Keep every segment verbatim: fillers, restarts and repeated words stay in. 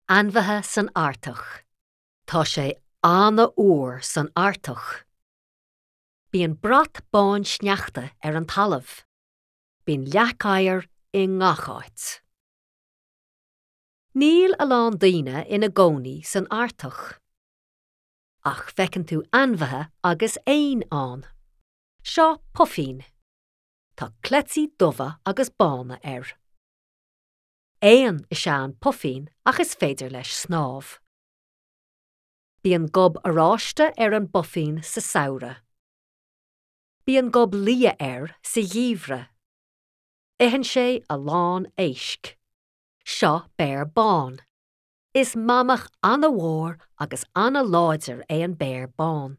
Ainmhithe san Artach. Tá sé an-fhuar san Artach. Bíonn brat bán sneachta ar an talamh. Bíonn leac oighir i ngach áit. Níl a lán daoine ina gcónaí san Artach. Ach feiceann tú ainmhithe agus éin ann. Seo puifín. Tá cleití dubha agus bána air. Éan is ea an puifín ach is féidir leis snámh. Bíonn gob oráiste ar an bpuifín sa samhradh. Bíonn gob liath air sa gheimhreadh. Itheann sé a lán éisc. Seo béar bán. Is mamach an-mhór agus an-láidir é an béar bán.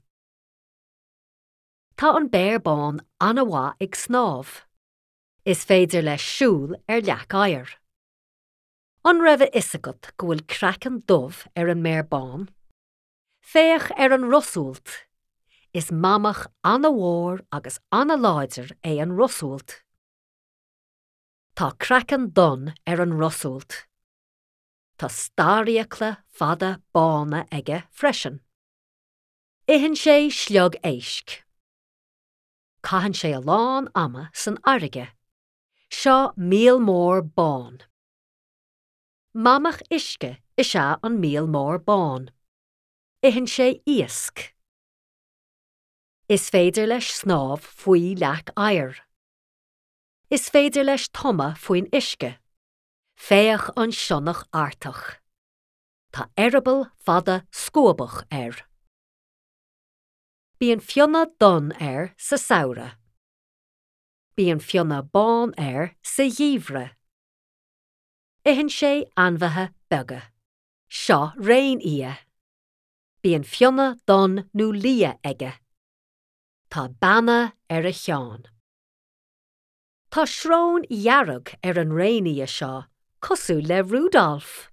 Tá an béar bán an-mhaith ag snámh. Is féidir leis siúl ar leac oighir. An raibh a fhios agat go bhfuil craiceann dubh ar an mbéar bán? Féach ar an rosualt. Is mamach an-mhór agus an-láidir é an rosualt. Tá craiceann donn ar an rosualt. Tá starrfhiacla fada bána aige freisin. Itheann sé sliog éisc. Caitheann sé a lán ama san fharraige. Seo míol mór bán. Mamach uisce is ea an míol mór bán. Itheann sé iasc. Is féidir leis snámh faoi leac oighir. Is féidir leis tumadh faoin uisce. Féach an sionnach Artach. Tá eireaball fada scuabach air. Bíonn fionnadh donn air sa samhradh. Bíonn fionnadh bán air sa gheimhreadh. Itheann sé ainmhithe beaga. Seo réinfhia. Bíonn fionnadh donn nó liath aige. Tá beanna ar a cheann. Tá srón dhearg ar an réinfhia seo, cosúil le Rudolf.